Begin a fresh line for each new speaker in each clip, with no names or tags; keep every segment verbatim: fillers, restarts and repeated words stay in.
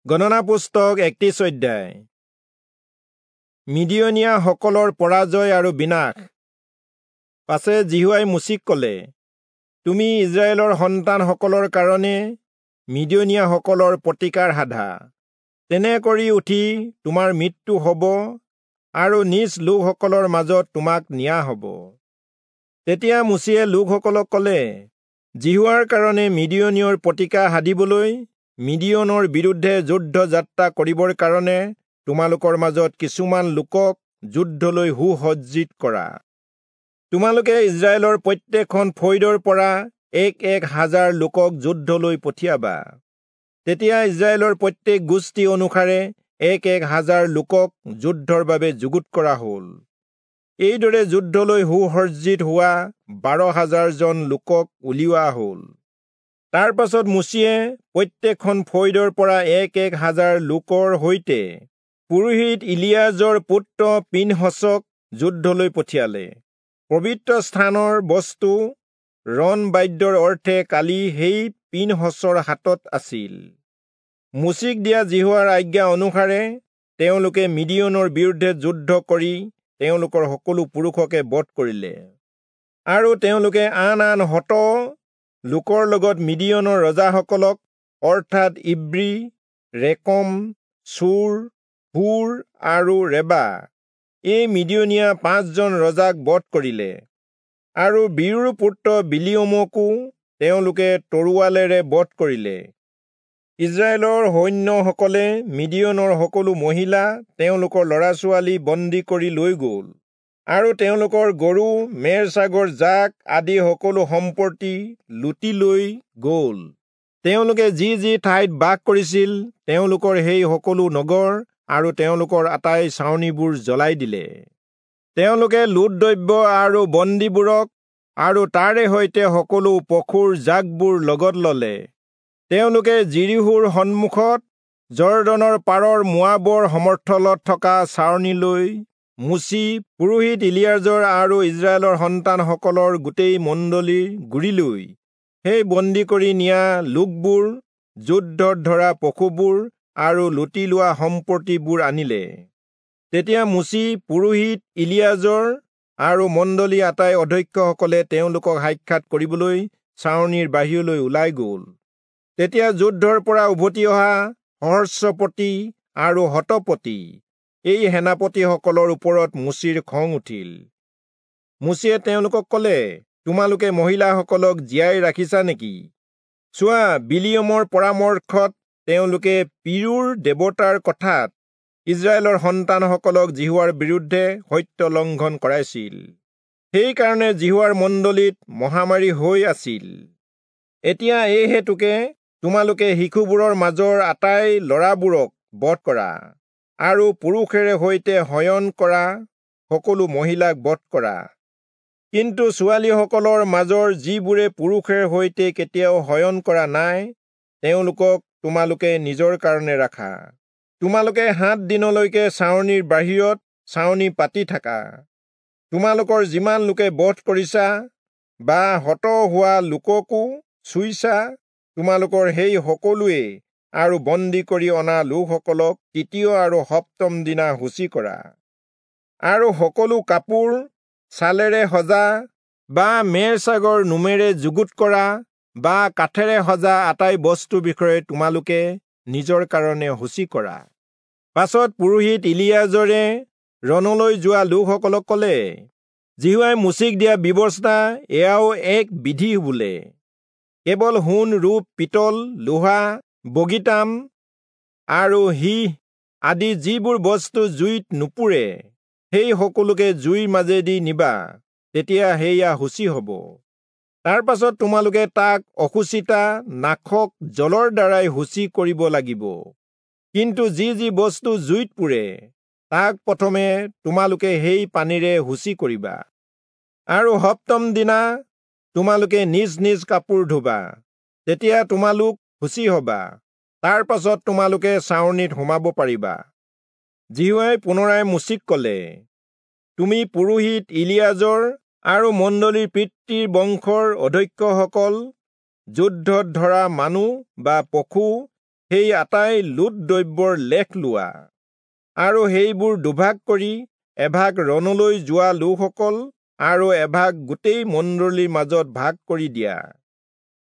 গণনা পুস্তক একত্ৰিশ অধ্যায়। মিদিয়নীয়াসকলৰ পৰাজয় আৰু বিনাশ। পাছে যিহোৱাই মোচিক কলে, তুমি ইস্ৰায়েলৰ সন্তানসকলৰ কাৰণে মিদিয়নীয়াসকলৰ প্ৰতিকাৰ সাধা। তেনে কৰি উঠি তোমাৰ মৃত্যু হ'ব আৰু নিজ লোকসকলৰ মাজত তোমাক নিয়া হ'ব। তেতিয়া মোচিয়ে লোকসকলক কলে, যিহোৱাৰ কাৰণে মিদিয়নীয়ৰ প্ৰতিকাৰ সাধিবলৈ মিদিয়নৰ বিৰুদ্ধে যুদ্ধ যাত্ৰা কৰিবৰ কাৰণে তোমালোকৰ মাজত কিছুমান লোকক যুদ্ধলৈ সুসজ্জিত কৰা। তোমালোকে ইস্ৰায়েলৰ প্ৰত্যেকখন ফৈদৰ পৰা এক এক হাজাৰ লোকক যুদ্ধলৈ পঠিয়াবা। তেতিয়া ইস্ৰায়েলৰ প্ৰত্যেক গোষ্ঠী অনুসাৰে এক এক হাজাৰ লোকক যুদ্ধৰ বাবে যুগুত কৰা হ'ল। এইদৰে যুদ্ধলৈ সুসজ্জিত হোৱা বাৰ হাজাৰজন লোকক উলিওৱা হ'ল। তাৰ পাছত মোচিয়ে প্ৰত্যেকখন ফৈদৰ পৰা এক এক হাজাৰ লোকৰ সৈতে পুৰোহিত ইলিয়াজৰ পুত্ৰ পিনহচক যুদ্ধলৈ পঠিয়ালে। পবিত্ৰ স্থানৰ বস্তু ৰণ বাদ্যৰ অৰ্থে কালি সেই পিনহচৰ হাতত আছিল। মোচিক দিয়া যিহোৱাৰ আজ্ঞা অনুসাৰে তেওঁলোকে মিদিয়নৰ বিৰুদ্ধে যুদ্ধ কৰি তেওঁলোকৰ সকলো পুৰুষকে বধ কৰিলে। আৰু তেওঁলোকে আন আন হত লোকৰ লগত মিদিয়নৰ ৰজাসকলক, অৰ্থাৎ ইব্ৰী, ৰেকম, চূৰ, হূৰ আৰু ৰেবা, এই মিদিয়নীয়া পাঁচজন ৰজাক বধ কৰিলে। আৰু বীৰুৰ পুত্ৰ বিলিয়মকো তেওঁলোকে তৰোৱালেৰে বধ কৰিলে। ইস্ৰায়েলৰ সৈন্যসকলে মিদিয়নৰ সকলো মহিলা, তেওঁলোকৰ ল'ৰা ছোৱালী বন্দী কৰি লৈ গ'ল আৰু তেওঁলোকৰ গৰু, মেৰ ছাগৰ জাক আদি সকলো সম্পত্তি লুটি লৈ গ'ল। তেওঁলোকে যি যি ঠাইত বাস কৰিছিল তেওঁলোকৰ সেই সকলো নগৰ আৰু তেওঁলোকৰ আটাই ছাউনিবোৰ জ্বলাই দিলে। তেওঁলোকে লুট দ্ৰব্য আৰু বন্দীবোৰক আৰু তাৰে সৈতে সকলো পশুৰ জাকবোৰ লগত ললে। তেওঁলোকে যিৰীহোৰ সন্মুখত যৰ্দনৰ পাৰৰ মোৱাবৰ সমৰ্থলত থকা ছাউনিলৈ মোচি, পুৰোহিত ইলিয়াজৰ আৰু ইস্ৰায়েলৰ সন্তানসকলৰ গোটেই মণ্ডলীৰ গুৰিলৈ সেই বন্দী কৰি নিয়া লোকবোৰ, যুদ্ধত ধৰা পশুবোৰ আৰু লুটি লোৱা সম্পত্তিবোৰ আনিলে। তেতিয়া মোচি, পুৰোহিত ইলিয়াজৰ আৰু মণ্ডলী আটাই অধ্যক্ষসকলে তেওঁলোকক সাক্ষাৎ কৰিবলৈ ছাউনিৰ বাহিৰলৈ ওলাই গ'ল। তেতিয়া যুদ্ধৰ পৰা উভতি অহা সহস্ৰপতি আৰু শতপতি এই সেনাপতিসকলৰ ওপৰত মোচিৰ খং উঠিল। মোচিয়ে তেওঁলোকক কলে, তোমালোকে মহিলাসকলক জীয়াই ৰাখিছা নেকি? চোৱা, বিলিয়মৰ পৰামৰ্শত তেওঁলোকে পিৰুৰ দেৱতাৰ কথাত ইস্ৰায়েলৰ সন্তানসকলক যিহোৱাৰ বিৰুদ্ধে সত্য লংঘন কৰাইছিল। সেইকাৰণে যিহোৱাৰ মণ্ডলীত মহামাৰী হৈ আছিল। এতিয়া এই হেতুকে তোমালোকে শিশুবোৰৰ মাজৰ আটাই ল'ৰাবোৰক বধ কৰা আৰু পুৰুষেৰে সৈতে শয়ন কৰা সকলো মহিলাক বধ কৰা। কিন্তু ছোৱালীসকলৰ মাজৰ যিবোৰে পুৰুষেৰ সৈতে কেতিয়াও শয়ন কৰা নাই, তেওঁলোকক তোমালোকে নিজৰ কাৰণে ৰাখা। তোমালোকে সাত দিনলৈকে ছাউনিৰ বাহিৰত ছাউনি পাতি থাকা। তোমালোকৰ যিমান লোকে বধ কৰিছা বা হত হোৱা লোককো চুইছা, তোমালোকৰ সেই সকলোৱে আৰু বন্দী কৰি অনা লোকসকলক তৃতীয় আৰু সপ্তম দিনা সূচী কৰা। আৰু সকলো কাপোৰ ছালেৰে সজা বা মেৰ ছাগৰ নোমেৰে যুগুত কৰা বা কাঠেৰে সজা আটাই বস্তুৰ বিষয়ে তোমালোকে নিজৰ কাৰণে সূচী কৰা। পাছত পুৰোহিত ইলিয়াজৰে ৰণলৈ যোৱা লোকসকলক কলে, যিহোৱাই মোচিক দিয়া ব্যৱস্থা এয়াও এক বিধি বোলে। কেৱল সোণ, ৰূপ, পিতল, লোহা, বগীতাম আৰু সীহ আদি যিবোৰ বস্তু জুইত নুপুৰে, সেই সকলোকে জুইৰ মাজেদি নিবা, তেতিয়া সেয়া সূচী হ'ব। তাৰ পাছত তোমালোকে তাক অসুচিতা নাশক জলৰ দ্বাৰাই সূচী কৰিব লাগিব। কিন্তু যি যি বস্তু জুইত পুৰে, তাক প্ৰথমে তোমালোকে সেই পানীৰে সূচী কৰিবা। আৰু সপ্তম দিনা তোমালোকে নিজ নিজ কাপোৰ ধুবা, তেতিয়া তোমালোক সূচী হবা। তাৰ পাছত তোমালোকে ছাউনিত সোমাব পাৰিবা। যিহোৱাই পুনৰাই মোচিক কলে, তুমি পুৰোহিত ইলিয়াজৰ আৰু মণ্ডলীৰ পিতৃৰ বংশৰ অধ্যক্ষসকল, যুদ্ধত ধৰা মানুহ বা পশু সেই আটাই লুট দ্ৰব্যৰ লেখ লোৱা, আৰু সেইবোৰ দুভাগ কৰি এভাগ ৰণলৈ যোৱা লোকসকল আৰু এভাগ গোটেই মণ্ডলীৰ মাজত ভাগ কৰি দিয়া।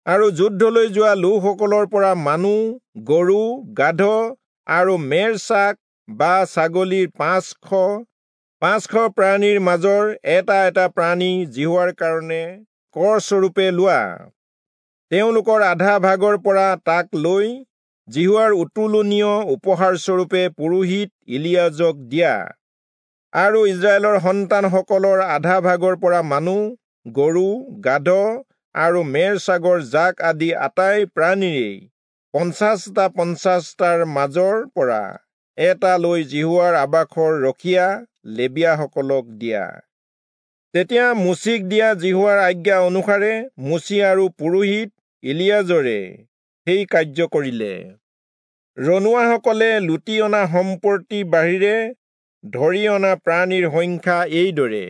আৰু যুদ্ধলৈ যোৱা লোকসকলৰ পৰা মানুহ, গৰু, গাধ আৰু মেৰ ছাগ বা ছাগলীৰ পাঁচশ পাঁচশ প্ৰাণীৰ মাজৰ এটা এটা প্ৰাণী যিহোৱাৰ কাৰণে কৰস্বৰূপে লোৱা। তেওঁলোকৰ আধা ভাগৰ পৰা তাক লৈ যিহোৱাৰ উত্তোলনীয় উপহাৰস্বৰূপে পুৰোহিত ইলিয়াজক দিয়া। আৰু ইস্ৰায়েলৰ সন্তানসকলৰ আধা ভাগৰ পৰা মানুহ, গৰু, গাধ আৰু মেৰ ছাগৰ জাক আদি আটাই প্ৰাণীৰেই পঞ্চাছটা পঞ্চাছটাৰ মাজৰ পৰা এটা লৈ যিহোৱাৰ আবাসৰ ৰখীয়া লেবীয়াসকলক দিয়া। তেতিয়া মোচিক দিয়া যিহোৱাৰ আজ্ঞা অনুসাৰে মোচি আৰু পুৰোহিত ইলিয়াজৰে সেই কাৰ্য কৰিলে। ৰণুৱাসকলে লুটি অনা সম্পত্তিৰ বাহিৰে ধৰি অনা প্ৰাণীৰ সংখ্যা এইদৰে: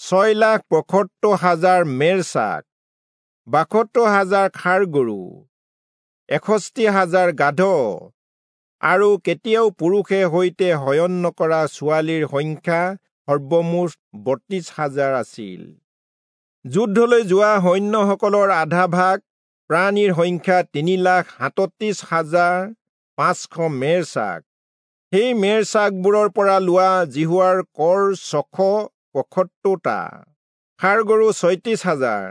ছয় লাখ পঁয়সত্তৰ হাজাৰ মেৰ ছাগ, বাসত্তৰ হাজাৰ ষাঁড় গৰু, এষষ্ঠি হাজাৰ গাধ, আৰু কেতিয়াও পুৰুষে সৈতে শয়ন নকৰা ছোৱালীৰ সংখ্যা সৰ্বমুঠ বত্ৰিশ হাজাৰ আছিল। যুদ্ধলৈ যোৱা সৈন্যসকলৰ আধা ভাগ প্ৰাণীৰ সংখ্যা তিনি লাখ সাতত্ৰিশ হাজাৰ পাঁচশ মেৰ ছাগ। সেই মেৰ ছাগবোৰৰ পৰা লোৱা যিহোৱাৰ কৰ ছশ পঁয়সত্তৰটা, ষাঁড় গৰু ছয়ত্ৰিশ হাজাৰ,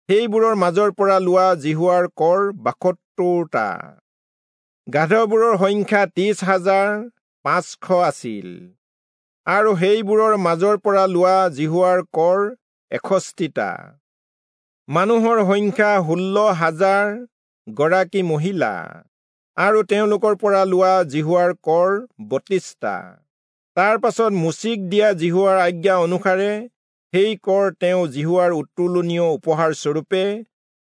সেইবোৰৰ মাজৰ পৰা লোৱা যিহোৱাৰ কৰ বাসত্তৰটা, গাধবোৰৰ সংখ্যা ত্ৰিশ হাজাৰ পাঁচশ আছিল, আৰু সেইবোৰৰ মাজৰ পৰা লোৱা যিহোৱাৰ কৰ এষষ্ঠিটা। মানুহৰ সংখ্যা ষোল্ল হাজাৰ গৰাকী মহিলা, আৰু তেওঁলোকৰ পৰা লোৱা যিহোৱাৰ কৰ বত্ৰিশটা। তাৰ পাছত মোচিক দিয়া যিহোৱাৰ আজ্ঞা অনুসাৰে সেই কৰ তেওঁ যিহোৱাৰ উত্তোলনীয় উপহাৰস্বৰূপে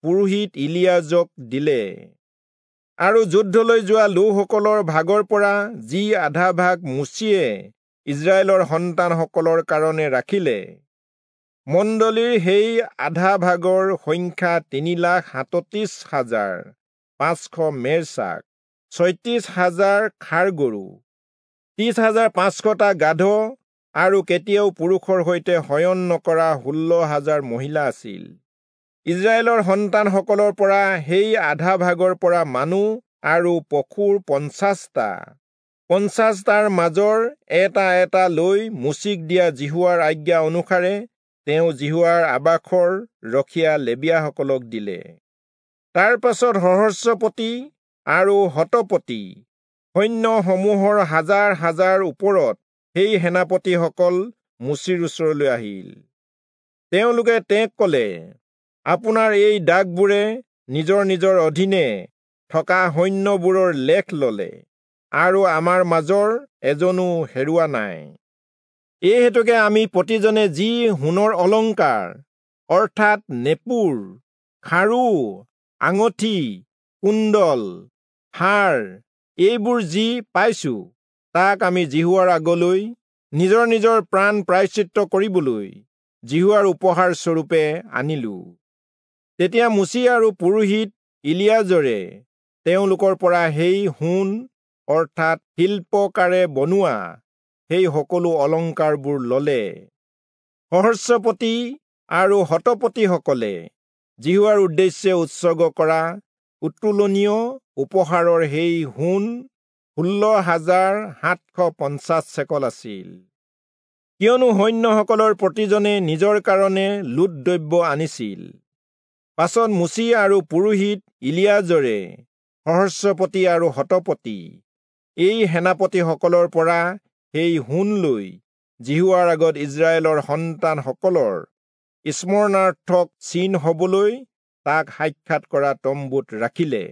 পুৰোহিত ইলিয়াজক দিলে। আৰু যুদ্ধলৈ যোৱা লোকসকলৰ ভাগৰ পৰা যি আধা ভাগ মোচিয়ে ইস্ৰায়েলৰ সন্তানসকলৰ কাৰণে ৰাখিলে, মণ্ডলীৰ সেই আধা ভাগৰ সংখ্যা তিনি লাখ সাতত্ৰিশ হাজাৰ পাঁচশ মেৰ ছাগ, ছয়ত্ৰিশ হাজাৰ ষাঁড় গৰু, ত্ৰিশ হাজাৰ পাঁচশটা গাধ, আৰু কেতিয়াও পুৰুষৰ সৈতে শয়ন নকৰা ষোল্ল হাজাৰ মহিলা আছিল। ইস্ৰায়েলৰ সন্তানসকলৰ পৰা সেই আধা ভাগৰ পৰা মানুহ আৰু পশুৰ পঞ্চাছটা পঞ্চাছটাৰ মাজৰ এটা এটা লৈ মোচিক দিয়া যিহোৱাৰ আজ্ঞা অনুসাৰে তেওঁ যিহোৱাৰ আবাসৰ ৰখীয়া লেবীয়াসকলক দিলে। তাৰ পাছত সহস্ৰপতি আৰু শতপতি সৈন্যসমূহৰ হাজাৰ হাজাৰ ওপৰত সেই সেনাপতিসকল মোচিৰ ওচৰলৈ আহিল। তেওঁলোকে তেওঁক কলে, আপোনাৰ এই দাসবোৰে নিজৰ নিজৰ অধীনে থকা সৈন্যবোৰৰ লেখ ললে, আৰু আমাৰ মাজৰ এজনো হেৰুৱা নাই। এই হেতুকে আমি প্ৰতিজনে যি সোণৰ অলংকাৰ, অৰ্থাৎ নেপুৰ, খাৰু, আঙঠি, কুণ্ডল, হাৰ এইবোৰ যি পাইছো, তাক আমি যিহোৱাৰ আগলৈ নিজৰ নিজৰ প্ৰাণ প্ৰায়শ্চিত্ত কৰিবলৈ যিহোৱাৰ উপহাৰ স্বৰূপে আনিলো। তেতিয়া মোচি আৰু পুৰোহিত ইলিয়াজৰে তেওঁলোকৰ পৰা সেই সোণ, অৰ্থাৎ শিল্পকাৰে বনোৱা সেই সকলো অলংকাৰবোৰ ললে। সহস্ৰপতি আৰু শতপতিসকলে যিহোৱাৰ উদ্দেশ্যে উৎসৰ্গ কৰা উত্তোলনীয় উপহাৰৰ সেই সোণ ষোল্ল হাজাৰ সাতশ পঞ্চাছ চেকল আছিল। কিয়নো সৈন্যসকলৰ প্ৰতিজনে নিজৰ কাৰণে লুট দ্ৰব্য আনিছিল। পাছত মোচি আৰু পুৰোহিত ইলিয়াজৰে সহস্ৰপতি আৰু শতপতি এই সেনাপতিসকলৰ পৰা সেই সোণ লৈ যিহোৱাৰ আগত ইস্ৰায়েলৰ সন্তানসকলৰ স্মৰণাৰ্থক চিন হবলৈ তাক সাক্ষাৎ কৰা তম্বুত ৰাখিলে।